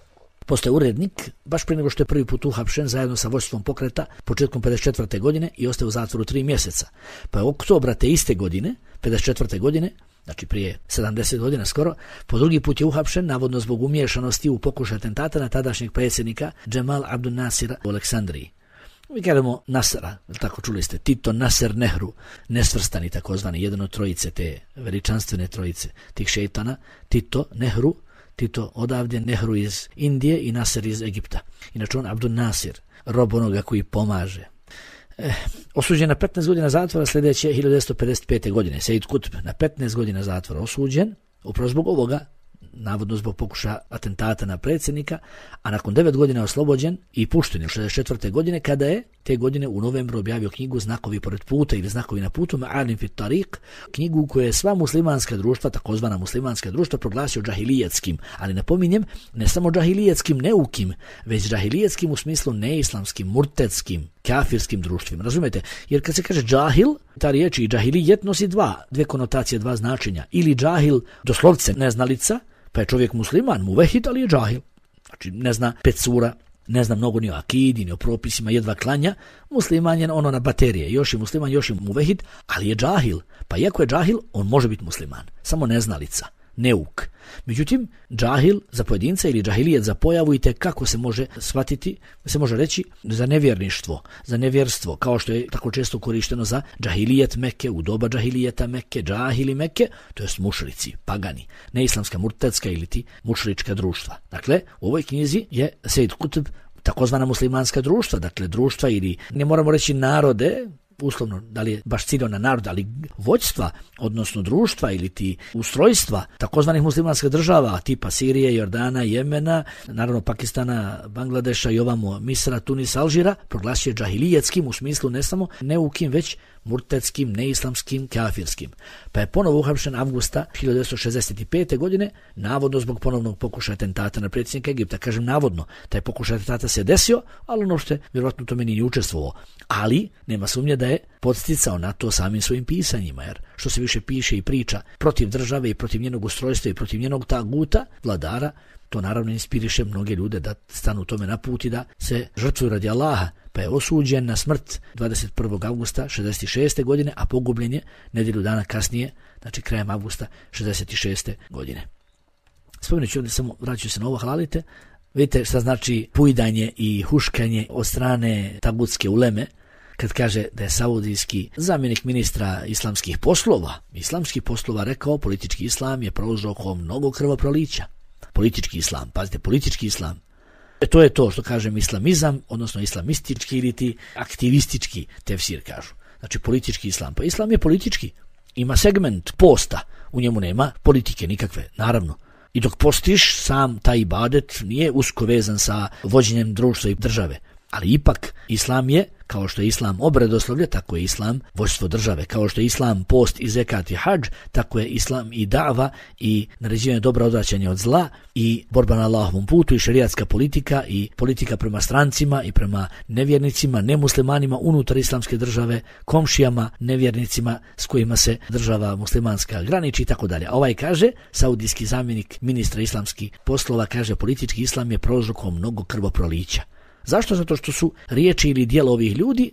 Postoje urednik, baš prije nego što je prvi put uhapšen zajedno sa vođstvom pokreta početkom 54. godine i ostao u zatvoru 3 mjeseca. Pa je oktobra te iste godine, 54. godine, znači prije 70 godina skoro, po drugi put je uhapšen, navodno zbog umiješanosti u pokušaj atentata na tadašnjeg predsjednika Džemal Abdul Nasira u Aleksandriji. Mi kažemo Nasara, tako čuli ste, Tito, Nasser, Nehru, nesvrstani takozvani, jedan od trojice te veličanstvene trojice tih šeitana, Tito, Nehru, Tito odavdje, Nehru iz Indije i Nasser iz Egipta. Inače on Abdul Nasir, rob onoga koji pomaže. Osuđen na 15 godina zatvora sljedeće 1955. godine. Sejid Kutb na 15 godina zatvora osuđen, upravo zbog ovoga, navodno zbog pokušaja atentata na predsjednika, a nakon 9 godina oslobođen i pušten 64. godine, kada je te godine u novembru objavio knjigu Znakovi pored puta ili Znakovi na putu, Ma'alim fit Tariq, knjigu koju je sva muslimanska društva, takozvana muslimanska društva, proglasio džahilijetskim, ali napominjem, ne samo džahilijetskim neukim, već džahilijetskim u smislu neislamskim, murtetskim, kafirskim društvima. Razumete? Jer kad se kaže džahil, ta riječ i džahilijet nosi dve konotacije, dva značenja. Ili džahil, doslovce neznalica, pa je čovjek musliman, muvehid, ali je džahil. Znači ne zna 5 sura, ne zna mnogo ni o akidi, ni o propisima, jedva klanja, musliman je ono na baterije, još je musliman, još je muvehid, ali je džahil. Pa iako je džahil, on može biti musliman, samo neznalica. neuk. Međutim, džahil za pojedinca ili džahilijet za pojavu i kako se može shvatiti, se može reći za nevjerništvo, za nevjerstvo, kao što je tako često korišteno za džahilijet Mekke, u doba džahilijeta Mekke, džahili Mekke, to jest mušrici, pagani, neislamska, murtedska ili ti mušrička društva. Dakle, u ovoj knjizi je Sejid Kutb takozvana muslimanska društva, dakle društva ili ne moramo reći narode, uslovno, da li je baš ciljao na narod, ali vođstva, odnosno društva ili ti ustrojstva takozvanih muslimanskih država, tipa Sirije, Jordana, Jemena, naravno Pakistana, Bangladeša i ovamo Misra, Tunisa, Alžira, proglasio džahilijetskim u smislu ne samo neukim, već murtedskim, neislamskim, kafirskim. Pa je ponovo uhapšen avgusta 1965. godine, navodno zbog ponovnog pokušaja atentata na predsjednika Egipta. Kažem navodno, taj pokušaj atentata se desio, ali ono što je vjerojatno tome nije učestvovao. Ali nema sumnje da je podsticao na to samim svojim pisanjima, jer što se više piše i priča protiv države i protiv njenog ustrojstva i protiv njenog taguta, vladara, to naravno inspiriše mnoge ljude da stanu tome na put i da se žrtvuju radi Allaha, pa je osuđen na smrt 21. avgusta 66. godine, a pogubljen je nedjelju dana kasnije, znači krajem avgusta 66. godine. Spomenut ću ovdje, samo vraću se na ovo, halalite. Vidite šta znači pujdanje i huškanje od strane tagutske uleme, kad kaže da je saudijski zamjenik ministra islamskih poslova rekao politički islam je prouzrokovao mnogo krvoprolića. Politički islam, pazite, politički islam. To je to što kažem islamizam, odnosno islamistički ili ti aktivistički tefsir kažu. Znači politički islam. Pa islam je politički. Ima segment posta, u njemu nema politike nikakve, naravno. I dok postiš, sam taj ibadet nije usko vezan sa vođenjem društva i države. Ali ipak islam je, kao što je islam obredoslovlje, tako je islam vođstvo države. Kao što je islam post i zekat i hadž, tako je islam i da'va i naređivanje dobra, odvraćanje od zla i borba na Allahovom putu i šerijatska politika i politika prema strancima i prema nevjernicima, nemuslimanima unutar islamske države, komšijama, nevjernicima s kojima se država muslimanska graniči i tako dalje. A ovaj kaže, saudijski zamjenik ministra islamskih poslova, kaže politički islam je prouzrokovao mnogo krvoprolića. Zašto? Zato što su riječi ili djela ovih ljudi,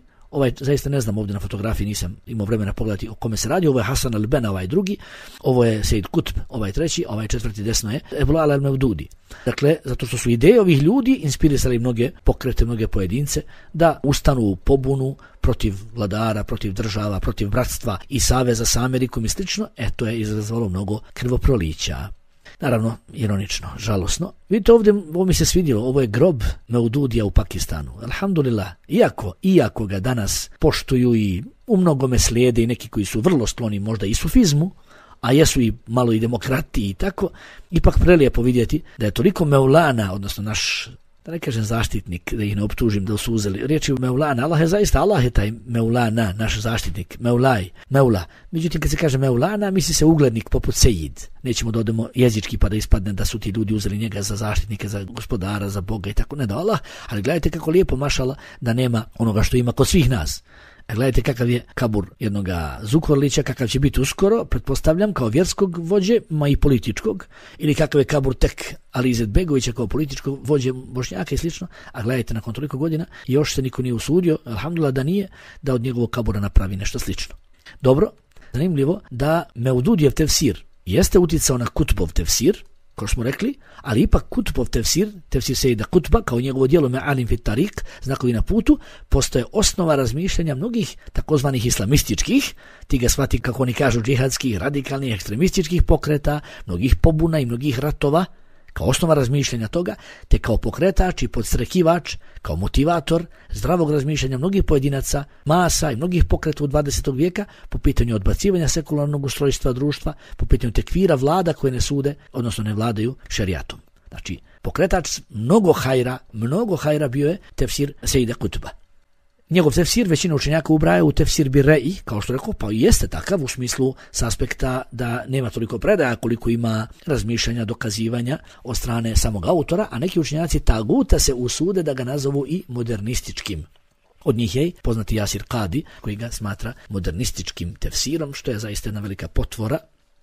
zaista ne znam, ovdje na fotografiji nisam imao vremena pogledati o kome se radi, ovo je Hasan al-Banna, ovaj drugi, ovo je Sejid Kutb, ovaj treći, ovaj četvrti desno je Ebu Ala al-Mevdudi. Dakle, zato što su ideje ovih ljudi inspirisali mnoge pokrete, mnoge pojedince da ustanu u pobunu protiv vladara, protiv država, protiv bratstva i saveza sa Amerikom i slično, to je izazvalo mnogo krvoprolića. Naravno, ironično, žalosno. Vidite ovdje, ovo mi se svidjelo, ovo je grob Meududija u Pakistanu. Alhamdulillah, iako ga danas poštuju i u mnogome slijede i neki koji su vrlo skloni možda i sufizmu, a jesu i malo i demokrati i tako, ipak prelijepo vidjeti da je toliko Meulana, odnosno naš, da ne kažem zaštitnik, da ih ne optužim da su uzeli riječi Meulana, Allah je taj Meulana, naš zaštitnik, Meula. Međutim, kad se kaže Meulana, misli se uglednik poput Sejid. Nećemo da odemo jezički pa da ispadne da su ti ljudi uzeli njega za zaštitnika, za gospodara, za Boga i tako, ne da Allah, ali gledajte kako lijepo mašala da nema onoga što ima kod svih nas. Gledajte kakav je kabur jednoga Zukorlića, kakav će biti uskoro, pretpostavljam, kao vjerskog vođe, ma i političkog, ili kakav je kabur tek Ali Izetbegovića kao političkog vođe Bošnjaka i slično, a gledajte nakon toliko godina još se niko nije usudio, alhamdulillah da nije, da od njegovog kabura napravi nešto slično. Dobro, zanimljivo da Meududijev tefsir jeste uticao na Kutbov tefsir, kao smo rekli, ali ipak Kutbov tefsir Sejida Kutba, kao njegovo djelo Me'alim fit Tarik, znakovi na putu, postoje osnova razmišljanja mnogih takozvanih islamističkih, ti ga shvati kako oni kažu džihadskih, radikalnih, ekstremističkih pokreta, mnogih pobuna i mnogih ratova, kao osnova razmišljanja toga, te kao pokretač i podstrekivač, kao motivator zdravog razmišljanja mnogih pojedinaca, masa i mnogih pokreta u 20. vijeka po pitanju odbacivanja sekularnog ustrojstva društva, po pitanju tekvira vlada koje ne sude, odnosno ne vladaju šerijatom. Znači, pokretač mnogo hajra bio je tefsir Sejida Kutba. Njegov tefsir većina učenjaka ubraja u tefsir Birre'i, kao što rekao, pa jeste takav u smislu s aspekta da nema toliko predaja koliko ima razmišljanja, dokazivanja od strane samog autora, a neki učenjaci taguta se usude da ga nazovu i modernističkim. Od njih je poznati Jasir Qadi, koji ga smatra modernističkim tefsirom, što je zaista jedna velika potvora.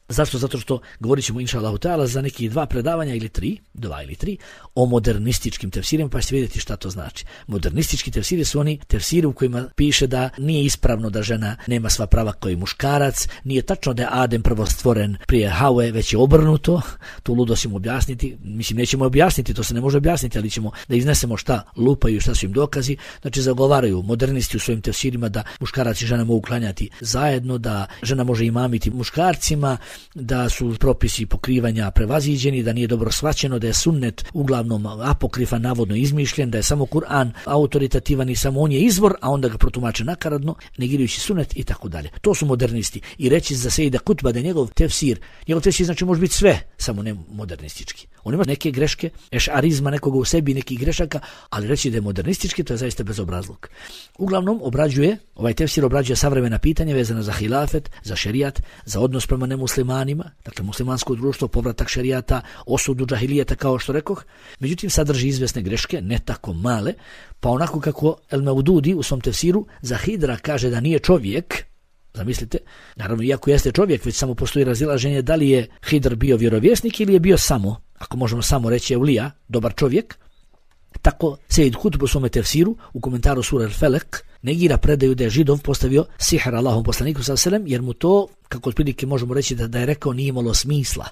Zašto? Zato što govorit ćemo inša Allahu ta'ala za neki 2 predavanja ili 3 o modernističkim tefsirima, pa ćete vidjeti šta to znači. Modernistički tefsiri su oni tefsiri u kojima piše da nije ispravno da žena nema sva prava kao i muškarac, nije tačno da je Adem prvo stvoren prije Haue, već je obrnuto, tu ludo ćemo objasniti, mislim nećemo objasniti, to se ne može objasniti, ali ćemo da iznesemo šta lupaju, šta su im dokazi, znači zagovaraju modernisti u svojim tefsirima da muškarac i žena mogu klanjati zajedno, da žena može imamiti muškarcima, da su propisi pokrivanja prevaziđeni, da nije dobro shvaćeno, da je sunnet uglavnom apokrifan, navodno izmišljen, da je samo Kur'an autoritativan i samo on je izvor, a onda ga protumače nakaradno, negirajući sunnet i tako dalje. To su modernisti. I reći za Sejida Kutba da je njegov tefsir znači može biti sve, samo ne modernistički. On ima neke greške, ešarizma nekoga u sebi, nekih grešaka, ali reći da je modernistički, to je zaista bezobrazluk. Uglavnom ovaj tefsir obrađuje savremena pitanja vezana za hilafet, za šerijat, za odnos prema nemuslimanima, dakle muslimansko društvo, povratak šerijata, osudu džahilijeta kao što rekoh. Međutim, sadrži izvesne greške, ne tako male, pa onako kako El Maududi u svom tefsiru za Hidra kaže da nije čovjek. Zamislite, naravno iako jeste čovjek, već samo postoji razilaženje da li je Hidr bio vjerovjesnik ili je bio samo, ako možemo samo reći Eulija, dobar čovjek. Tako Sejid Kutb u svome tefsiru u komentaru sure Al-Felek negira predaju da je Židov postavio sihr Allahom poslaniku s.a.v. jer mu to, kako otprilike možemo reći da je rekao, nije imalo smisla,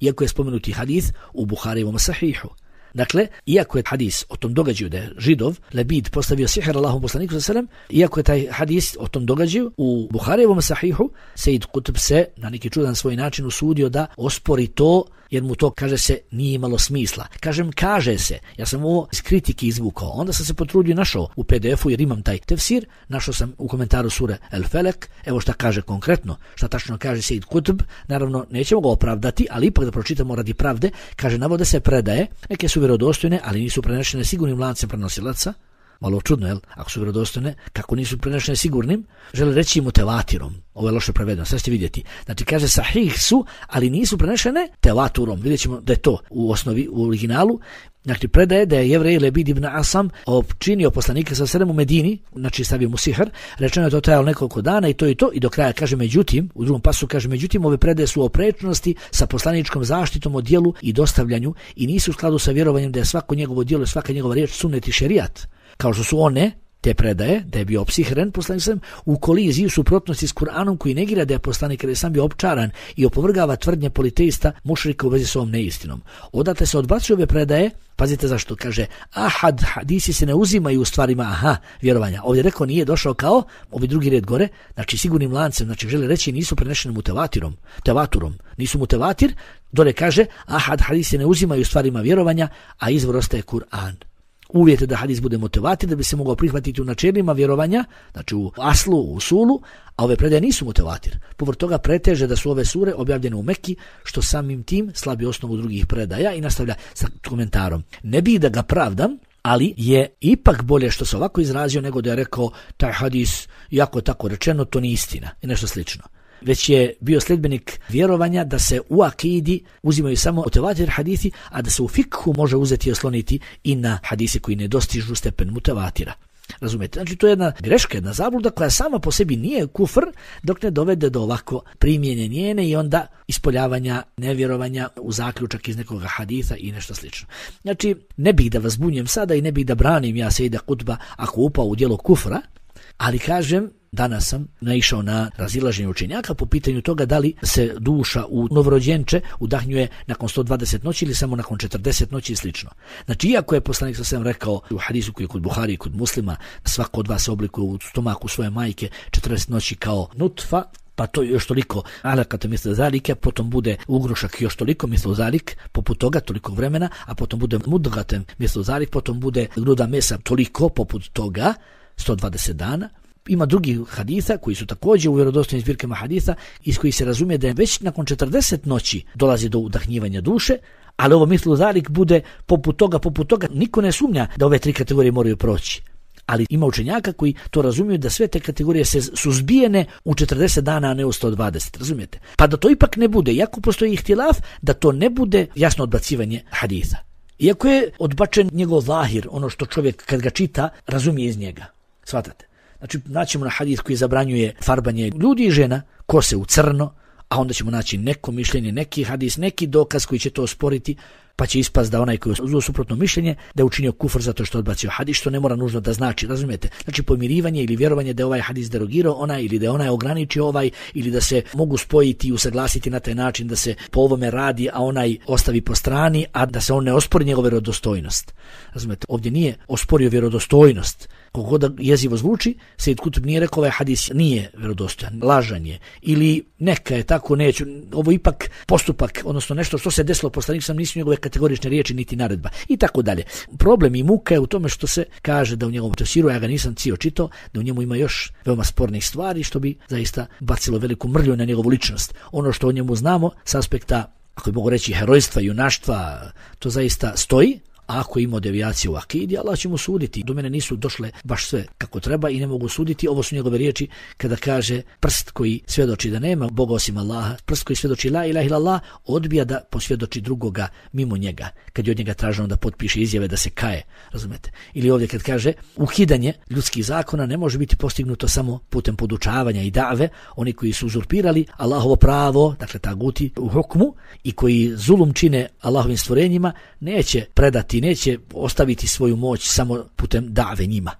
iako je spomenuti hadis u Buharijevom sahihu. Dakle, iako je hadis o tom događaju da je Židov Lebid postavio sihr Allahom poslaniku s.a.v. iako je taj hadis o tom događaju u Buharijevom sahihu, Sejid Kutb se na neki čudan svoj način usudio da ospori to, jer mu to, kaže se, nije imalo smisla. Kaže se, ja sam ovo iz kritike izvukao, onda sam se potrudio, našao u PDF-u, jer imam taj tefsir, našao sam u komentaru sure El Felek, evo šta kaže konkretno, šta tačno kaže Sejid Kutb, naravno nećemo ga opravdati, ali ipak da pročitamo radi pravde, kaže, navode se predaje, neke su vjerodostojne, ali nisu prenešene sigurnim lancem prenosilaca. Malo čudno, jel? Ako su vjerodostojne, kako nisu prenešene sigurnim, žele reći mutevatirom. Ovo je loše prevedeno, sad ćete vidjeti. Znači kaže sahih su, ali nisu prenešene tevaturom. Vidjet ćemo da je to u osnovi, u originalu. Znači predaje da je Jevrej Lebid ibn Asam opčinio poslanika sa sedem u Medini, znači stavio mu sihr, rečeno je to trajalo nekoliko dana i to i do kraja kaže međutim, u drugom pasu kaže međutim, ove predaje su o prečnosti sa poslaničkom zaštitom o djelu i dostavljanju i nisu u skladu sa vjerovanjem da je svako njegovo djelo i svaka njegova riječ sunnet i šerijat. Kao što su one, te predaje, da je bio opsihren poslanik sam, u koliziji u suprotnosti s Kur'anom koji negira da je poslanik kada je sam bio opčaran i opovrgava tvrdnje politeista mušrika u vezi s ovom neistinom. Odatle se odbacuju ove predaje, pazite zašto, kaže, hadisi se ne uzimaju u stvarima, vjerovanja. Ovdje rekao nije došao kao, ovi drugi red gore, znači sigurnim lancem, znači žele reći nisu prenešene tevaturom, nisu mutevatir, dole kaže, hadisi se ne uzimaju u stvarima vjerovanja, a izvor ostaje Kur'an. Uvjet je da hadis bude mutevatir da bi se mogao prihvatiti u načelima vjerovanja, znači u aslu, u usulu, a ove predaje nisu mutevatir. Povrh toga preteže da su ove sure objavljene u Mekki, što samim tim slabi osnovu drugih predaja i nastavlja sa komentarom. Ne bi da ga pravdam, ali je ipak bolje što se ovako izrazio nego da je rekao taj hadis, jako tako rečeno, to nije istina i nešto slično. Već je bio sljedbenik vjerovanja da se u akidi uzimaju samo mutevatir hadisi, a da se u fikhu može uzeti i osloniti i na hadise koji ne dostižu stepen mutevatira. Razumijete? Znači to je jedna greška, jedna zabluda koja sama po sebi nije kufr dok ne dovede do ovako primjenja njene i onda ispoljavanja nevjerovanja u zaključak iz nekoga hadisa i nešto slično. Znači ne bih da vas bunjem sada i ne bih da branim ja Sejida Kutba ako upao u djelo kufra, ali kažem, danas sam naišao na razilaženje učenjaka po pitanju toga da li se duša u novorođenče udahnjuje nakon 120 noći ili samo nakon 40 noći i slično. Znači, iako je poslanik sa svem rekao u hadisu koji je kod Buhari i kod Muslima, svako od vas se oblikuje u stomaku svoje majke 40 noći kao nutfa, pa to još toliko alakata misle zalike, potom bude ugrušak još toliko misle zalik, poput toga toliko vremena, a potom bude mudgatem misle zalik, potom bude gruda mesa toliko poput toga, 120 dana. Ima drugih hadisa koji su također u vjerodostojnim zbirkama hadisa iz kojih se razumije da je već nakon 40 noći dolazi do udahnjivanja duše, ali ovo mislu zalik bude poput toga, niko ne sumnja da ove tri kategorije moraju proći. Ali ima učenjaka koji to razumiju da sve te kategorije su zbijene u 40 dana, a ne u 120, razumijete? Pa da to ipak ne bude, iako postoji ihtilaf, da to ne bude jasno odbacivanje hadisa. Iako je odbačen njegov zahir, ono što čovjek kad ga čita razumije iz njega. Svatate? Znači, naćemo na hadis koji zabranjuje farbanje ljudi i žena, kose u crno, a onda ćemo naći neko mišljenje, neki hadis, neki dokaz koji će to osporiti, pa će ispast da onaj koji je uzeo suprotno mišljenje da je učinio kufr zato što je odbacio hadis, što ne mora nužno da znači, razumijete? Znači pomirivanje ili vjerovanje da je ovaj hadis derogirao onaj ili da je onaj ograničio ovaj ili da se mogu spojiti i usaglasiti na taj način da se po ovome radi, a onaj ostavi po strani, a da se on ne ospori njegovu vjerodostojnost. Razumijete? Ovdje nije osporio vjerodostojnost. Koliko da jezivo zvuči, Sejid Kutb nije rekao ovaj hadis nije vjerodostojan, lažan je, ili neka je tako, neću, ovo ipak postupak, odnosno nešto što se desilo poslanik sam nisu njegove kategorične riječi niti naredba i tako dalje. Problem i muka je u tome što se kaže da u njegovom tefsiru, ja ga nisam cijelo čitao, da u njemu ima još veoma spornih stvari što bi zaista bacilo veliku mrlju na njegovu ličnost. Ono što o njemu znamo s aspekta, ako mogu reći, herojstva, junaštva, to zaista stoji. A ako ima devijacije u akidi, Allah će mu suditi. Do mene nisu došle baš sve kako treba i ne mogu suditi. Ovo su njegove riječi kada kaže prst koji svjedoči da nema Boga osim Allaha, prst koji svjedoči la ilaha illallah, odbija da posvjedoči drugoga mimo njega. Kad je od njega traženo da potpiše izjave da se kaje, razumete? Ili ovdje kad kaže ukidanje ljudskih zakona ne može biti postignuto samo putem podučavanja i dave, oni koji su uzurpirali Allahovo pravo, dakle taguti u hukmu i koji zulum čine Allahovim stvorenjima, neće predati, neće ostaviti svoju moć samo putem dave njima.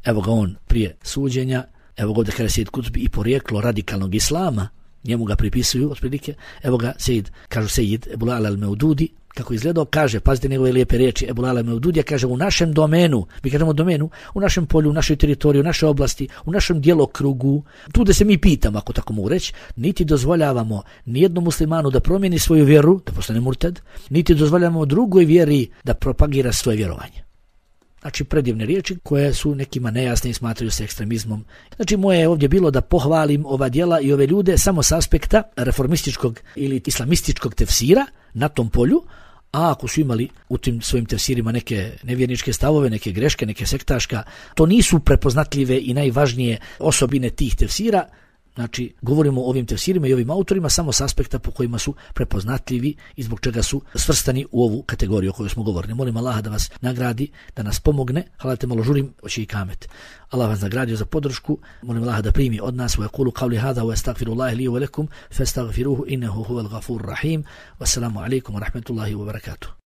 Evo ga on prije suđenja, evo ga ovdje kada Sejid Kutbi i porijeklo radikalnog islama, njemu ga pripisuju otprilike, evo ga kažu Sejid Ebul Ala al-Meududi, kako izgledao, kaže, pazite njegove lijepe riječi, Ebul Ala al-Meududija kaže u našem domenu, mi kažemo domenu, u našem polju, u našoj teritoriji, u našoj oblasti, u našem djelokrugu, tu da se mi pitamo, ako tako mogu reći, niti dozvoljavamo nijednom muslimanu da promijeni svoju vjeru, da postane murted, niti dozvoljavamo drugoj vjeri da propagira svoje vjerovanje. Znači predivne riječi koje su nekima nejasne i smatraju se ekstremizmom. Znači moje je ovdje bilo da pohvalim ova djela i ove ljude samo s aspekta reformističkog ili islamističkog tefsira na tom polju, a ako su imali u tim svojim tefsirima neke nevjerničke stavove, neke greške, neke sektaška, to nisu prepoznatljive i najvažnije osobine tih tefsira. Znači, govorimo o ovim tefsirima i ovim autorima samo s aspekta po kojima su prepoznatljivi i zbog čega su svrstani u ovu kategoriju o kojoj smo govorili. Molim Allaha da vas nagradi, da nas pomogne. Halate malo žurim, oći i kamet. Allah vas nagradio za podršku. Molim Allaha da primi od nas. Wa yaqulu qawli hadha wa astaghfirullaha li wa lakum fastaghfiruhu innahu huwal ghafurur rahim. Wassalamu alaikum wa rahmatullahi wa barakatuh.